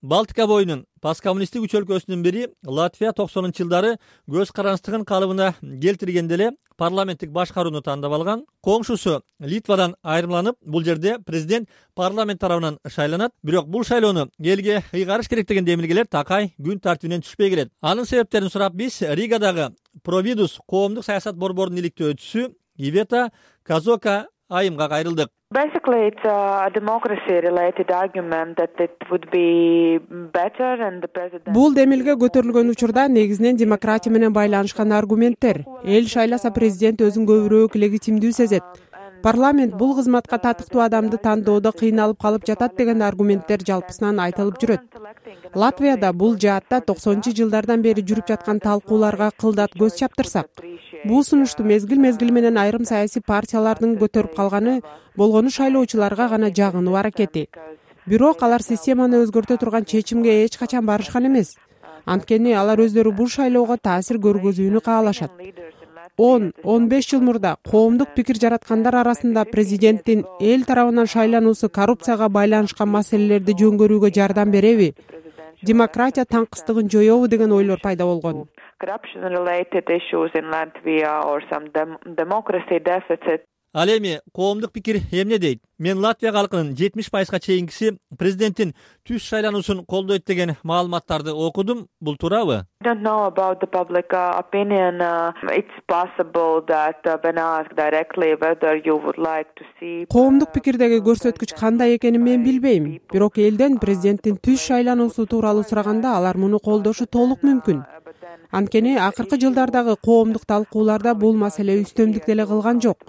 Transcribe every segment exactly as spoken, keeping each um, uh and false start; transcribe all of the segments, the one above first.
Балтика боюнун посткоммунисттик үч өлкөсүнүн бири Латвия токсонунчу жылдары көз каранчтыгын калыбына келтиргенде эле парламенттик башкарууну тандап алган. Коңшусу Литвадан айырмаланып, бул жерде президент парламент тарабынан шайланат. Бирок бул шайлоону элге ыйгарыш керек деген демилгелер такай күн тартибинен түшпөй келет. Анын себептерин сурап биз Ригадагы Провидус коомдук саясат борборунун иликтөөчүсү Ивета Казока айымга кайрылдык. Basically, it's a democracy-related argument that it would be better and the president... Бул демилге көтөрүлгөн учурда негизинен демократия менен байланышкан аргументтер. Эл шайласа президент өзүн көбүрөөк легитимдүү сезет. Парламент бул кызматка татыктуу адамды тандоодо кыйналып калып жатат деген аргументтер жалпысынан айтылып жүрөт. Латвияда бул жаатта токсонунчу жылдардан бери жүрүп жаткан талкууларга кылдат көз чаптырсак, бул сунушту мезгил-мезгил менен айрым саясий партиялардын көтөрүп калганы болгону шайлоочуларга гана жагынуу аракети. Бирок алар системаны өзгөртө турган чечимге эч качан барышкан эмес. Анткени алар өздөрү бул шайлоого таасир көргөзүүнү каалашат. он он беш жыл мурда коомдук пикир жараткандар арасында президенттин эл тарабынан шайлануусу коррупцияга байланышкан маселелерди жөнгөрүүгө жардам береби? Демократия таңкыстыгын жоёбу деген ойлор пайда болгон. Corruption-related issues in Latvia or some democracy deficit. Ал эми коомдук пикир эмне дейт? Мен Латвия калкынын жетимиш пайызга чейинкиси президенттин түз шайлануусун колдойт деген маалыматтарды окудум. Бул туурабы? I don't know about the public uh, opinion. Uh, it's possible that uh, when asked directly whether you would like to see... Коомдук пикирдеги көрсөткүч кандай экенин мен билбейм. Бирок элден президенттин түз шайлануусу тууралуу сураганда алар муну колдошу толук мүмкүн. Анткени акыркы жылдардагы коомдук талкууларда бул маселе үстөмдүк деле кылган жок.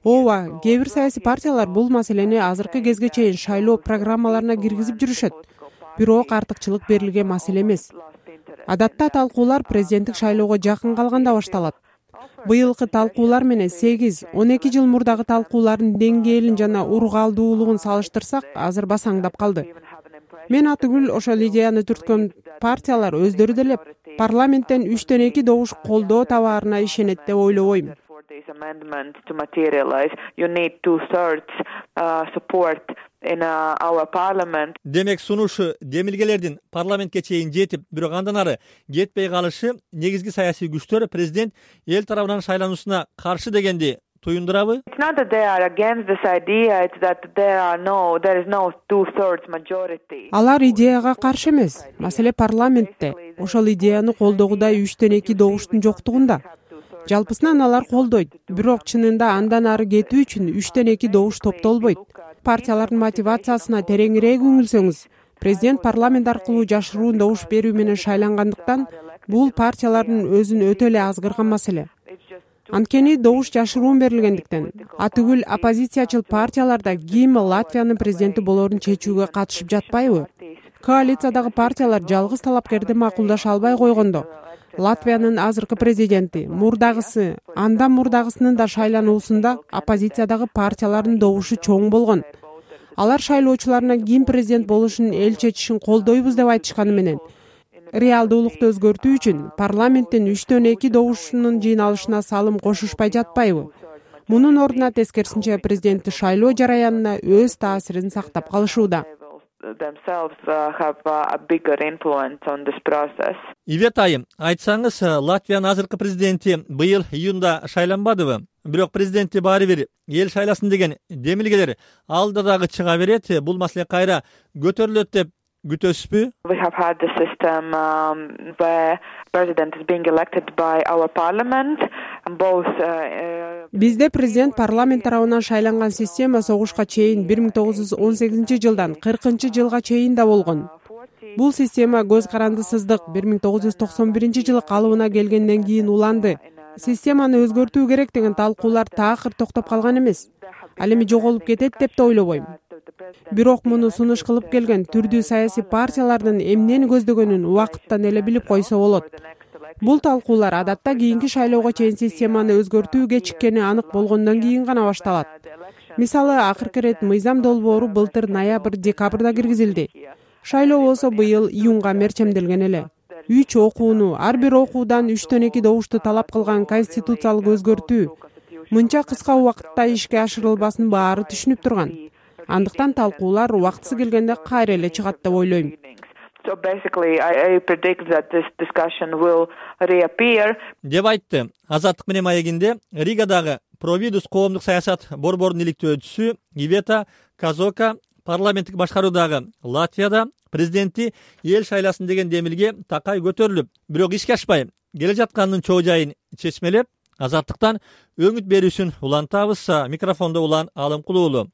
Ооба, кээ бир саясий партиялар бул маселени азыркы кезге чейин шайлоо программаларына киргизип жүрүшөт. Бирок артыкчылык берилген маселе эмес. Адатта талкуулар президенттик шайлоого жакын калганда башталат. Быйылкы талкуулар менен сегиз он эки жыл мурдагы талкуулардын деңгээлин жана ургалдуулугун салыштырсак, азыр басаңдап калды. Мен атүгүл ошол идеяны түрткөн партиялар өздөрү деле парламенттен үчтөн эки добуш колдоо табаарына ишенет деп ойлобойм. This amendment to materialize, you need two-thirds uh, support in uh, our parliament. Демек сунушу демилгелердин парламентке чейин жетип, бирок андан ары жетпей калышы негизги саясий күчтөр президент эл тарабынан шайлануусуна каршы дегенди туюндурабы? It's not that they are against this idea, it's that there are no there is no two-thirds majority. Алар идеяга каршы эмес. Маселе парламентте. Ошол идеяны колдогудай үчтөн эки добуштун жоктугунда. Жалпысынан алар колдойт, бирок чынында андан ары кетүү үчүн үчтөн эки добуш топтолбойт. Партиялардын мотивациясына тереңирээк үңүлсөңүз, президент парламент аркылуу жашыруун добуш берүү менен шайлангандыктан бул партиялардын өзүн өтө эле азгырган маселе. Анткени добуш жашыруун берилгендиктен, атүгүл оппозициячыл партияларда ким Латвиянын президенти болоорун чечүүгө катышып жатпайбы? Коалициядагы партиялар жалгыз талапкерди макулдаша албай койгондо, Латвиянын азыркы президенти, мурдагысы, андан мурдагысынын да шайлануусунда оппозициядагы партиялардын добушу чоң болгон. Алар шайлоочуларына ким президент болушун эл чечишин колдойбуз деп айтышканы менен, реалдуулукту өзгөртүү үчүн парламенттин үчтөн эки добушунун жыйналышына салым кошушпай жатпайбы? Мунун ордуна тескерисинче президентти шайлоо жараянына өз таасирин сактап калышууда. Themselves uh, have uh, a bigger influence on this process. Ивет айым, айтсаңыз, Латвиянын азыркы президенти быйыл июнда шайланбадыбы? Бирок президентти баары бир эл шайласын деген демилгелер алда дагы чыга берет. Бул маселе кайра көтөрүлөт деп күтөсүзбү? We have had the system um, where president is being elected by our parliament. Both uh, Бизде президент парламент тарабынан шайланган система согушка чейин бир миң тогуз жүз он сегизинчи жылдан кыркынчы жылга чейин да болгон. Бул система көз карандысыздык бир миң тогуз жүз токсон биринчи жылы калыбына келгенден кийин уланды. Системаны өзгөртүү керек деген талкуулар таакыр токтоп калган эмес. Ал эми жоголуп кетет деп да ойлобойм. Бирок муну сунуш кылып келген түрдүү саясий партиялардын эмнени көздөгөнүн убакыттан эле билип койсо болот. Бул талкуулар адатта кийинки шайлоого чейин системаны өзгөртүү кечиккени анык болгондон кийин гана башталат. Мисалы, акыркы ирет мыйзам долбоору былтыр ноябрь-декабрда киргизилди. Шайлоо болсо быйыл июнга мерчемделген эле. Үч окууну, ар бир окуудан үчтөн эки добушту талап кылган конституциялык өзгөртүү мынча кыска убакытта ишке ашырылбасын баары түшүнүп турган. Андыктан талкуулар убактысы келгенде кайра эле чыгат деп ойлойм. So basically, I, I predict that this discussion will reappear. деп айтты. Азаттык менен маегинде Ригадагы Провидус коомдук саясат борборунун иликтөөчүсү Ивета Казока парламенттик башкаруудагы Латвияда президенти эл шайласын деген демилге такай көтөрүлүп, бирок ишке ашпай келе жатканынын чоо жайын чечмелеп, азаттыктан өңүт берүүсүн улантабыз. Микрофондо Улан Алымкулуулу.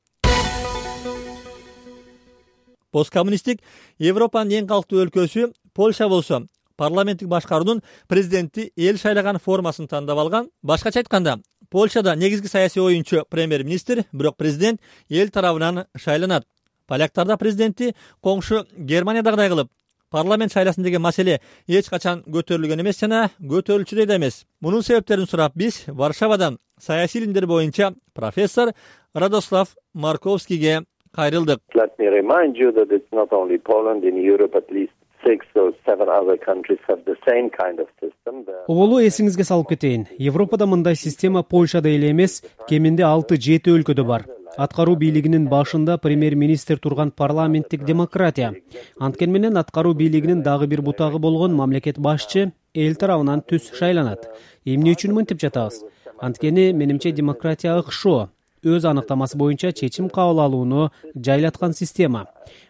Посткоммунисттик Европанын эң калктуу өлкөсү Польша болсо, парламенттик башкаруунун президенти эл шайлаган формасын тандап алган. Башкача айтканда, Польшада негизги саясий оюнчу премьер-министр, бирок президент эл тарабынан шайланат. Поляктарда президенти коңшу Германиядагыдай кылып парламент шайласын деген маселе эч качан көтөрүлгөн эмес жана көтөрүлчүдөй да эмес. Мунун себептерин сурап биз Варшавадан саясий илимдер боюнча профессор Радослав Марковскийге кайрылдык. Let me remind you that it's not only Poland, in Europe at least six or seven other countries have the same kind of system. Оболу эсиңизге салып кетейин. Европада мындай система Польшада эле эмес, кеминде алты жети өлкөдө бар. Аткаруу бийлигинин башында премьер-министр турган парламенттик демократия. Анткени менен аткаруу бийлигинин дагы бир бутагы болгон мамлекет башчы эл тарабынан түз шайланат. Эмне үчүн мынтип жатабыз? Анткени менимче демократия ыкшоо, өз аныктамасы боюнча чечим кабыл алууну жайлаткан система.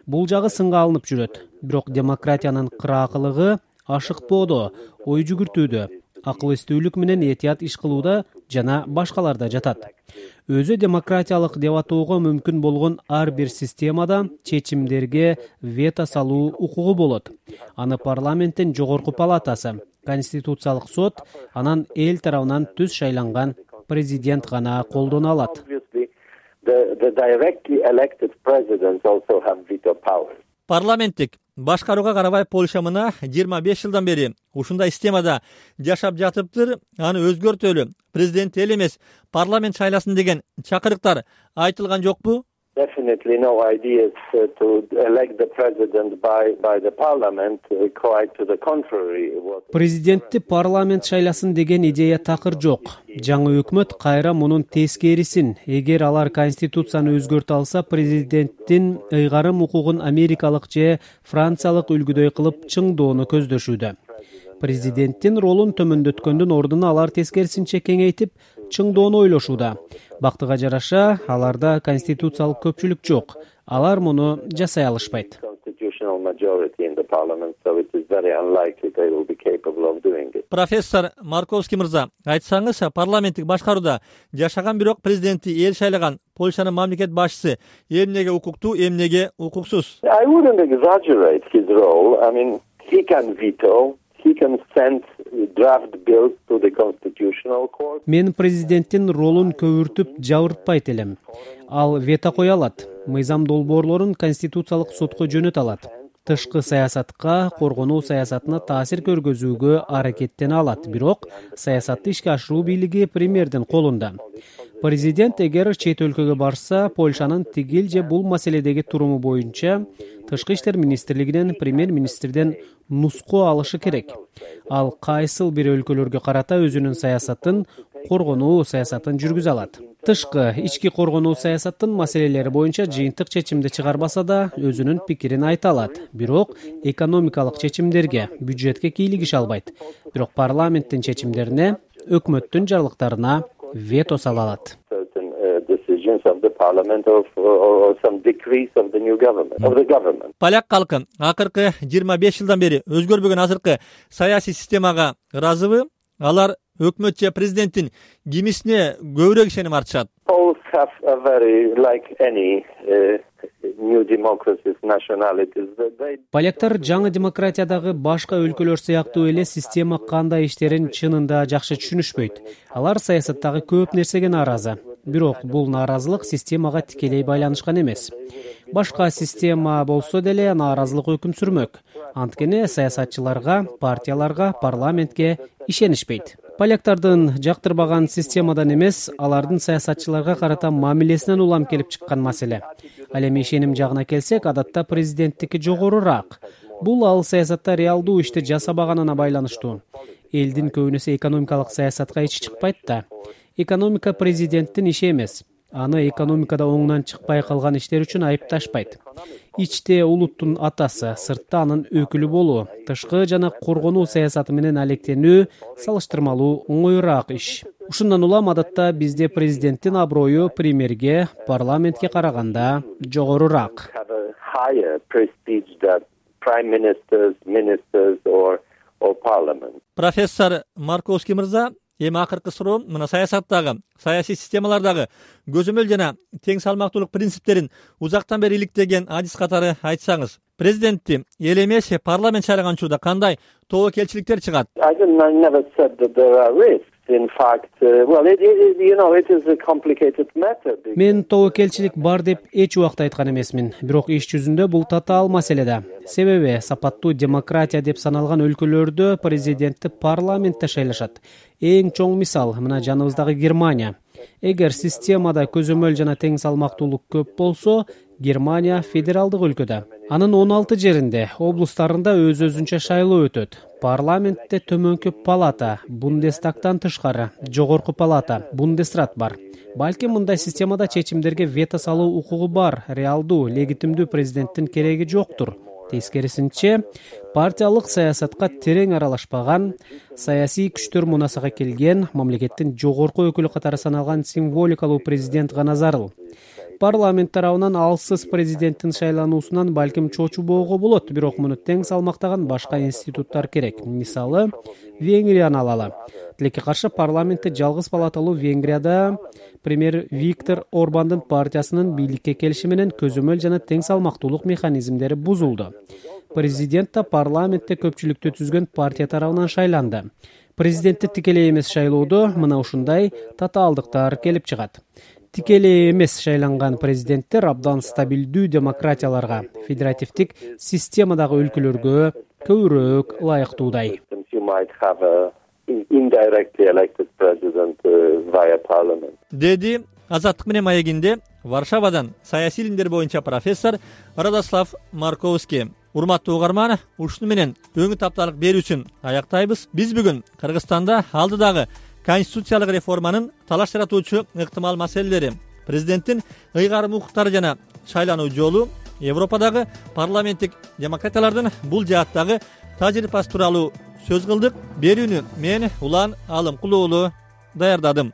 Бул жагы сынга алынып жүрөт. Бирок демократиянын кыраакылыгы ашыкпоодо, ой жүгүртүүдө, акыл эстүүлүк менен этият иш кылууда жана башкаларда жатат. Өзү демократиялык деп атоого мүмкүн болгон ар бир системада чечимдерге вето салуу укугу болот. Аны парламенттин жогорку палатасы, конституциялык сот, анан эл тарабынан түз шайланган президент гана колдоно алат. Парламенттик башкарууга карабай Польша мына жыйырма беш жылдан бери ушундай системада жашап жатыптыр. Аны өзгөртөлү президент эл эмес, парламент шайласын деген чакырыктар айтылган жокпу? Definitely no ideas uh, to elect the president by by the parliament, uh, quite to the contrary. Президентти парламент шайласын деген идея такыр жок. Жаңы өкмөт кайра мунун тескерисин, эгер алар конституцияны өзгөртө алса, президенттин ыйгарым укугун америкалык же франциялык үлгүдөй кылып чыңдоону көздөшүүдө. Президенттин ролун төмөндөткөндүн ордуна алар тескерисинче кеңейтип, чыңдоону ойлошууда. Бактыга жараша, аларда конституциялык көпчүлүк жок. Алар муну жасай алышпайт. Профессор Марковский мырза, айтсаңыз, парламенттик башкарууда жашаган бирок президенти эл шайлаган Польшанын мамлекет башчысы эмнеге укуктуу, эмнеге укуксуз? I wouldn't exaggerate his role. I mean, he can veto. He can send draft bills to the constitutional court. Мен президенттин ролун көбүртүп жабыртпайт элем. Ал вето кое алат. Мыйзам долбоорлорун конституциялык сотко жөнөтө алат. Тышкы саясатка, коргонуу саясатына таасир көргөзүүгө аракеттене алат. Бирок саясатты ишке ашыруу бийлиги премьердин колунда. Президент эгер чет өлкөгө барса, Польшанын тигил же бул маселедеги туруму боюнча Тышкы иштер министрлигинен премьер-министрден нуску алышы керек. Ал кайсыл бир өлкөлөргө карата өзүнүн саясатын, коргонуу саясатын жүргүзө алат. Тышкы ички коргонуу саясаттын маселелери боюнча жыйынтык чечимди чыгарбаса да, өзүнүн пикирин айта алат. Бирок экономикалык чечимдерге, бюджетке кийлигише албайт. Бирок парламенттин чечимдерине, өкмөттүн жарлыктарына вето сала алат. Поляк калкы акыркы жыйырма беш жылдан бери өзгөрбөгөн азыркы саясий системага ыраазыбы? Алар өкмөт же президенттин кимисине көбүрөөк ишеним артышат? Поляктар жаңы демократиядагы башка өлкөлөр сыяктуу эле система кандай иштерин чынында жакшы түшүнүшпөйт. Алар саясаттагы көп нерсеге нааразы. Бирок бул нааразылык системага тикелей байланышкан эмес. Башка система болсо деле нааразылык өкүм сүрмөк. Анткени саясатчыларга, партияларга, парламентке ишенишпейт. Поляктардын жактырбаган системадан эмес, алардын саясатчыларга карата мамилесинен улам келип чыккан маселе. Ал эми ишеним жагына келсек, адатта президенттики жогорураак. Бул ал саясатта реалдуу ишти жасабаганына байланыштуу. Элдин көбүнөсү экономикалык саясатка ичи чыкпайт да. Экономика президенттин иши эмес. аны экономикада оңунан чыкпай калган иштер үчүн айыпташпайт. Ичте улуттун атасы, сыртта анын өкүлү болуу, тышкы жана коргонуу саясаты менен алектенүү салыштырмалуу оңоюраак иш. Ушундан улам адатта бизде президенттин аброю премьерге, парламентке караганда жогорураак. Профессор Марковский мырза, эми акыркы суроо мына саясаттагы, саясий системалардагы көзөмөл жана тең салмактуулук принциптерин узактан бери иликтеген адис катары айтсаңыз, президентти эл эмес парламент шайлаган учурда кандай тобокелчиликтер чыгат? Мен тобокелчилик бар деп эч убакта айткан эмесмин, бирок иш жүзүндө бул татаал маселе да. Себеби сапаттуу демократия деп саналган өлкөлөрдө президентти парламентте шайлашат. Эң чоң мисал мына жаныбыздагы Германия. Эгер системада көзөмөл жана тең салмактуулук көп болсо, Германия федералдык өлкөдө. Анын он алты жеринде, облустарында өз-өзүнчө шайлоо өтөт. Парламентте төмөнкү палата, Бундестагтан тышкары, жогорку палата, Бундесрат бар. Балким мындай системада чечимдерге вето салуу укугу бар, реалдуу, легитимдүү президенттин кереги жоктур. Тескерисинче, партиялык саясатка терең аралашпаган, саясий күчтөр мунасага келген, мамлекеттин жогорку өкүлү катары саналган символикалуу президент гана зарыл. Парламент тарабынан алсыз президенттин шайлануусунан балким чочубоого болот, бирок муну тең салмактаган башка институттар керек. Мисалы, Венгрияны алалы. Тилекке каршы парламентте жалгыз палаталуу Венгрияда премьер Виктор Орбандын партиясынын бийликке келиши менен көзөмөл жана тең салмактуулук механизмдери бузулду. Президент да парламентте көпчүлүктү түзгөн партия тарабынан шайланды. Президентти тикелей эмес шайлоодо мына ушундай татаалдыктар келип чыгат. Тикелей эмес шайланган президенттер абдан стабилдүү демократияларга, федеративдик системадагы өлкөлөргө көбүрөөк ылайыктуудай. Деди Азаттык менен маегинде Варшавадан саясий илимдер боюнча профессор Радослав Марковский. Урматтуу угарман, ушуну менен өңү тапталык берүүсүн аяктайбыз. Биз бүгүн Кыргызстанда алдыдагы конституциялык реформанын талаш жаратуучу ыктымал маселелери, президенттин ыйгарым укуктары жана шайлануу жолу, Европадагы парламенттик демократиялардын бул жааттагы тажрыйбасы тууралуу сөз кылдык. Берүүнү мен Улан Алымкулуу даярдадым.